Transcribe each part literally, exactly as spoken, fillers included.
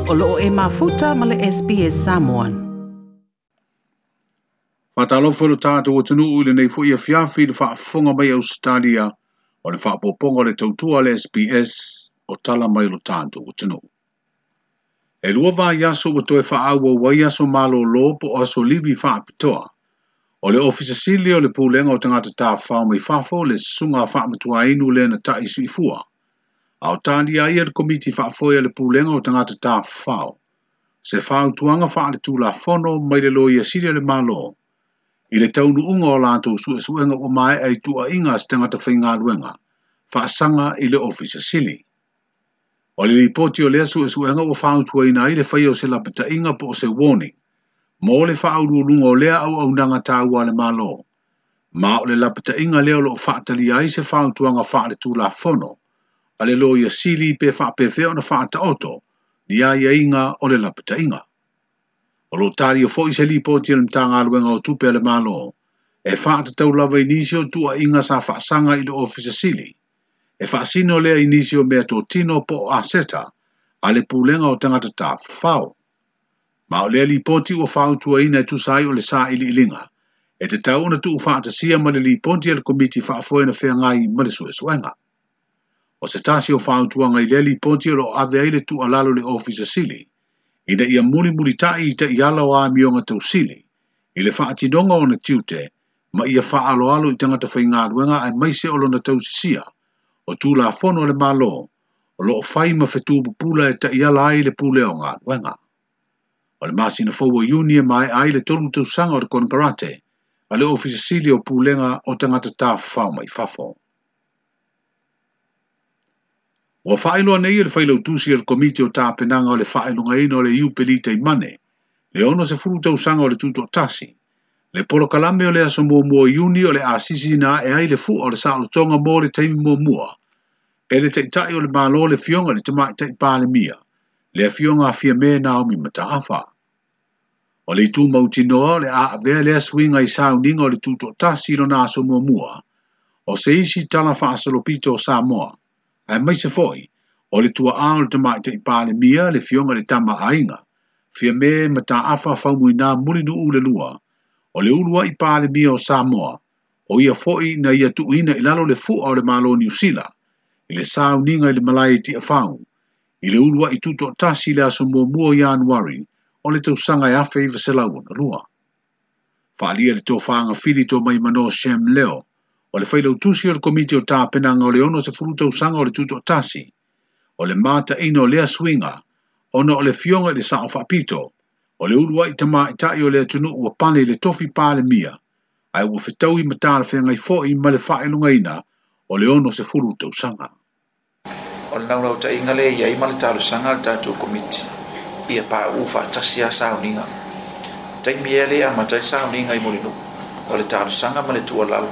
O loo e mafuta ma le S B S Samoan. Faatalofa lo tatou atunuu i lenei foi afiafi i le faafofoga mai Ausetalia o le faapopoga o le tautua a le S B S o tala mai lo tatou atunuu. E lua vaiaso ua toe faaauau ai aso malolo po o aso livi faapitoa. O le Ofisa Sili o le Pulega o Tagata Tafafao mai Fafo le susuga faamatuainu le na ta'i suifua. A o talia ai e le Komiti Faafoe a le Pulega o Tagata Tafafao. Se fautuaga faaletulafono mai le Loia Sili o le Malo. I le taunuuga o latou suesuega ua maea i tuuaiga a se tagata faigaluega, faasaga i le Ofisa Sili. O le lipoti o lea suesuega ua fautuaina ai le faia o se lapataiga po o se warning, mo le faauluuluga o lea auaunaga taua a le Malo. Ma o le lapataiga lea o loo faatalia ai se fautuaga faaletulafono a le Loia Sili pe faapefea ona faataoto ni aiaiga o le lapataiga. O loo talia foi se lipoti a le Matagaluega o Tupe a le Malo e faatatau lava i nisi o tuuaiga sa faasaga i le Ofisa Sili. E faasino lea i nisi o mea totino po o aseta a le Pulega o Tagata Tafafao. Ma o lea lipoti ua fautuaina e tusa ai o le sailiiliga e tatau ona tuufaatasia ma le lipoti a le Komiti Faafoe na feagai ma le suesuega. O se tasi o fautuaga i lea lipoti o loo ave ai le tuualalo le Ofisa Sili ina ia mulimulitai i taiala o amioga tausili i le faatinoga o ona tiute ma ia faaaloalo i tagata faigaluega aemaise o lona tausisia o Tulafono a le Malo o loo fai ma fetupupula e taiala ai le pulea o galuega. O le masina fou o Iuni e maea ai le tolu tausaga o le konekarate a le Ofisa Sili o Pulega o Tagata Tafafao mai Fafo. Ua faailoa nei e le failautusi o le Komiti o Tapenaga o le faailogaina o le Iupeli Taimane, le onosefulu tausaga o le tutoatasi, le polokalame o le aso muamua o Iuni o le asisi na ae ai le fua o le saolotoga mo le taimi muamua, e le taitai o le Malo le Afioga i le Tamaitai Palemia, le Afioga a Fiame Naomi Mataafa. O le itu mautinoa o le a avea lea suiga i sauniga o le tutoatasi i lona aso muamua, o se isi tala faasolopito o Samoa, aemaise foi o le tuaa o le Tamaitai Palemia le Afioga i le Tama a Aiga, Fiame Mataafa Faumuina Mulinuu le lua, o le uluai Palemia o Samoa, o ia foi na ia tuuina i lalo le fua o le Malo o Niu Sila, i le sauniga i le malae i Tiafau, i le uluai tutoatasi i le aso muamua o Ianuari, o le tausaga e afe iva selau ona lua. Faalia le tofaga fili to mai mano Shem Leo, o le failautusi o le Komiti o Tapenaga o le onosefulu tausaga o le tutoatasi, o le mataina o lea suiga, ona o le Afioga i le Sao Faapito, o le uluai tamaitai o le atunuu ua pane i le tofi Palemia, ae ua fetaui ma talafeagai foi ma le faailogaina o le onosefulu tausaga. O le naulautaiga lea e i ai ma le talosaga a le tatou Komiti, ia pauu faatasi a sauniga. Taimi ea lea amata ai le sauniga i Mulinuu, o le talosaga ma le tuualalo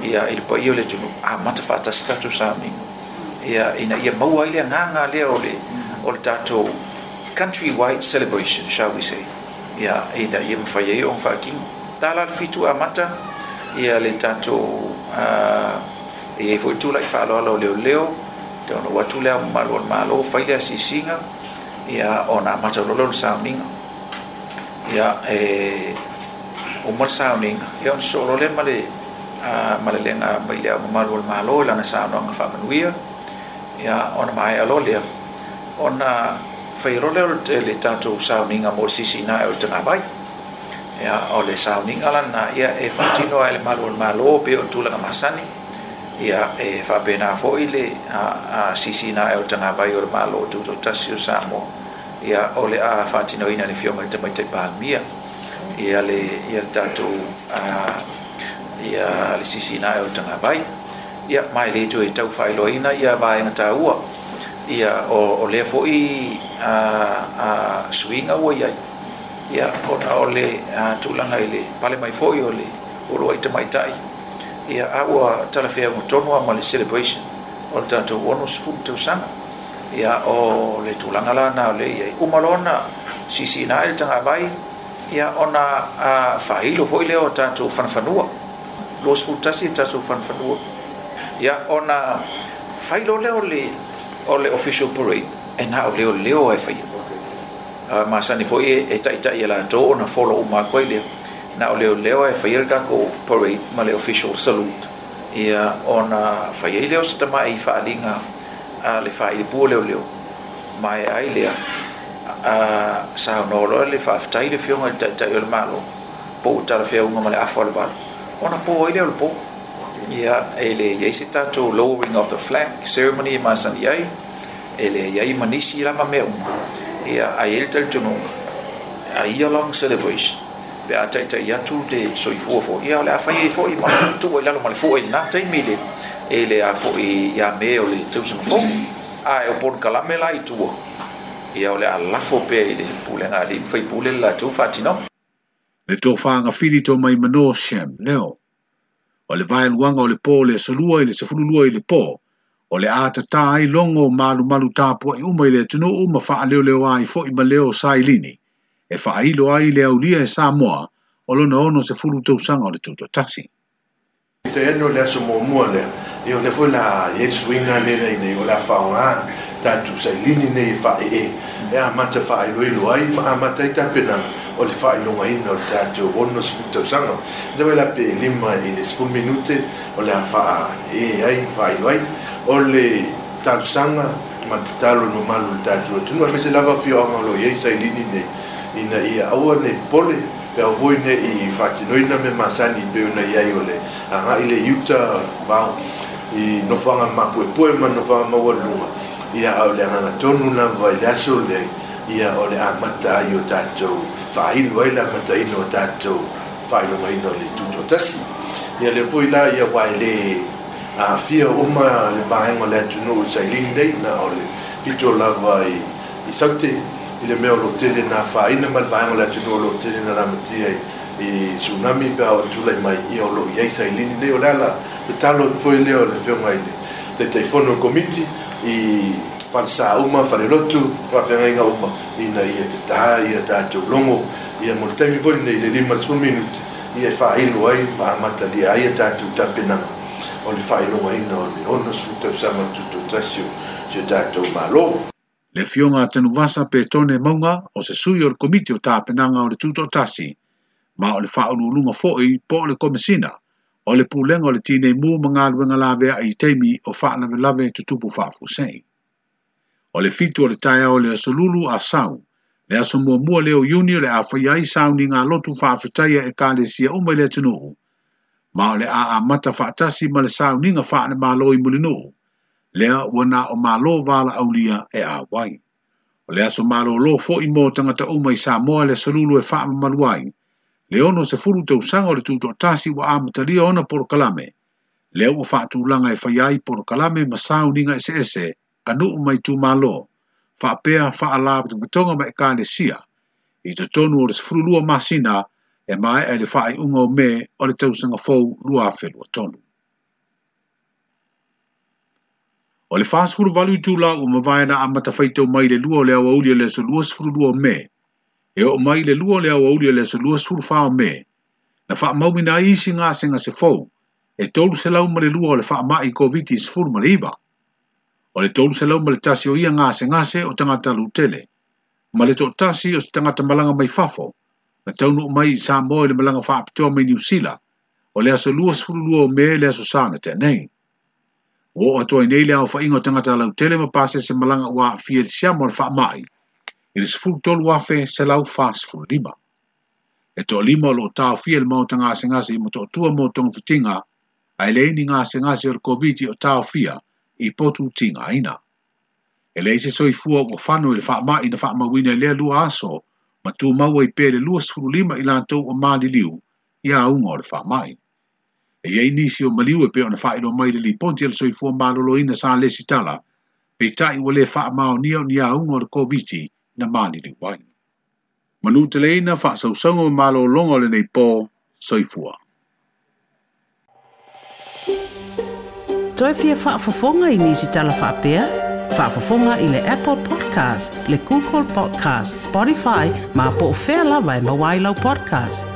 ia i le paia o le atunuu, amata faatasi tatou sauniga. Ia ina ia maua ai le agaga lea o le, o le tatou country-wide celebration, shall we say. Ia ina ia mafai ai ona faatino. Tala le fitu amata ia le tatou, uh, e i ai foi tula'i faaaloalo o leoleo, tau ona atu lea mamalu o le Malo, fai le asiasiga, ia ona amata loa lea o le sauniga. Ia e uma le sauniga, ia ona sosoo loa lea ma le, uh, ma le lega mai le au mamalu o le Malo i lana saunoaga faamanuia, ia ona maea loa lea, ona fai loa lea o le, le tatou sauniga mo le sisiina ae o le tagavai. Ia o le sauniga lana, ia e faatino ai le Malo o le Malo pe o le tulaga masani, ia e faapena foi le, a, a, sisiina ae o le tagavai o le Malo tutoatasi o Samoa, ia o le a faatinoina le Afioga i le Tamaitai Palemia, ia le, ia le tatou, a, ia le sisiina ae o le tagavai. Ia ma e le toe tau faailoaina ia vaega taua, ia o, o lea foi, a, a, suiga ua i ai, ia ona o le, a, tulaga i le pale mai foi o le uluai tamaitai, ia a ua talafeauga tonu lava ma le celebration o le tatou onosefulu tausaga. Ia o le tulaga lana o lea i ai. Uma loa ona sisiina ai le tagavai, ia ona, a, faailo foi lea o tatou fanafanua, luasefulu tasi e tatou fanafanua. Ia ona failo lea o le, o le official parade, e na o leo leo e faia. Masani foi e ta'ita'i e latou ona folo uma aku ai lea na o leoleo e faia le tatou parade ma le official salute ia ona fai ai lea o se tama'i fa'aliga a le fa'ailepua leoleo ma e ai lea a saunoa loa le fa'afetai le afioga i le ta'ita'i o le Malo po ua talafeauga ma le afa o le valo ona po ai lea o le po ia e le iai se tatou lowering of the flag ceremony e masani ai e le iai ma nisi lava mea uma ia ae iai le talitonuga a year long celebration pe a ta'ita'i atu le soifua fo'i ia o le a fai ai fo'i ma tuu ai lalo ma le fu'a i lenā taimi le e le a fo'i iā Me o le tausaga fou ae o polokalame la i tua ia o le a lafo pea i le pulega a alii ma faipule le latou fa'atinoga. Le tofaga fili to mai mano Shem Leo. O le vaeluaga o le pō le aso lua i le sefululua i le pō, o le a tatā ai logo malumalu tapua'i uma i le atunuu ma fa'aleoleo ai fo'i ma leo sailini, e fa'ailo ai le aulia e Samoa o lona ono sefulu tausaga o le tutoatasi. Te ane o le aso muamua lea, ia o lea foi la i ai le suiga lea na i nei, o le a fa'aaogā tatou sailini nei e fa'ae'e e amata fa'ailoilo ai ma amata ai tapenaga o le fa'ailogaina o le tatou ono sefulu tausaga. Lea foi la pe lima i le sefulu minute o le a fa'ae'e ai ma fa'ailo ai. O le talosaga ma le tatalo i le mamalu o le tatou atunuu, aemaise lava afioaga o lo o i ai sailini nei, ina ia aua nei popole pe aua foi nei faatinoina mea masani pei ona i ai o le aga'i lea i uta vao i nofoaga mapuepue ma nofoaga maualuluga ia a o le agaga tonu lava i le aso lea ia o le amata ai o tatou faailo ai le amataina o tatou faailogaina o le tutoatasi. Ia lea foi la ia ua e lē aafia uma le vaega o le atunuu i sailini nei na o le pito lava i i Saute i le mea o lo o tele na afaina ma le vaega o le atunuu o lo o tele na lamatia i i tsunami pe a oo tulai mai ia o lo o i ai sailini nei. O le ala tatalo atu foi lea o le afioga i le Taitaifono o le Komiti i falesā uma falelotu faafeagaiga uma ina ia tatā ia tatou logo ia mo le taimi foi lenei i le lima i le sefulu minute ia e faailo ai ma amatalia ai a tatou tapenaga o le faailogaina o le ono sefulu tausaga o le tutoatasi o si o tatou Malo. Le afioga a Tanuvasa Petone Mauga o se sui o le Komiti o Tapenaga o le Tutoatasi, ma o le fa'auluuluga fo'i po o le Komesina o le Pulega o le Tinei Mu ma Galuega Lavea'i i taimi o fa'alavelave tutupu fa'afuasei. O le fitu o le taeao o le aso Lulu a Sau, le aso muamua lea o Iuni o le a faia ai sauniga lotu fa'afetaia ekalesia uma i le atunuu, ma o le a amata fa'atasi ma le sauniga fa'alemālo i Mulinuu, lea ua na o Malo valaaulia e auai. O le aso malōlō fo'i mo tagata uma i Samoa le aso Lulu e fa'amamalu ai, le ono sefulu tausaga o le tutoatasi ua amatalia ona polokalame, lea ua fa'atulaga e faia ai polokalame ma sauniga eseese a nuu ma itumālō, fa'apea fa'alapotopotoga ma ekalesia, i totonu o le sefululua masina e mae'a i le fa'ai'uga o Me o le tausaga fou lua afe lua tolu. O le fasefuluvalu itulā ua mavae na amata faitau mai i le lua o le aoauli o le aso luasefululua o Me, e oo mai i le lua o le aoauli o le aso luasefulufā o Me, na fa'amauina ai isi gasegase fou e tolu selau ma le lua o le fa'ama'i Koviti sefulu ma le iva. O le tolu selau ma le tasi o ia gasegase o tagata lutele, ma le to'atasi o se tagata malaga mai fafo, na taunu'u mai i Samoa i le malaga fa'apitoa mai Niu Sila, o le aso luasefululua o Me le aso Sa na tea nei. Ua oo atu ai nei le aofa'iga o tagata lautele ma pasese malaga ua a'afia i le siama o le fa'ama'i i le sefulu tolu afe selau fasefulu lima. E to'alima o lo'o taofia i le maota gasegase i Motootua mo togafitiga, ae leai ni gasegase o le Koviti o taofia i potu tigaina. E leai se soifua ua fano i le fa'ama'i na fa'amauina i lea lua aso ma tumau ai pea le luasefulu lima i latou ua maliliu i auga o le fa'ama'i. E i ai nisi o maliu e pei ona fa'ailoa mai i le lipoti a le Soifua Maloloina sa lesitala, peita'i ua lē fa'amaonia o ni auga o le Koviti na maliliu ai. Manuteleina fa'asausauga ma malōlōga o lenei pō, soifua. Toe fia faafofoga i nisi tala faapea? Faafofoga i le Apple Podcast, le Google Podcast, Spotify, ma po o fea lava e maua ai lau podcast.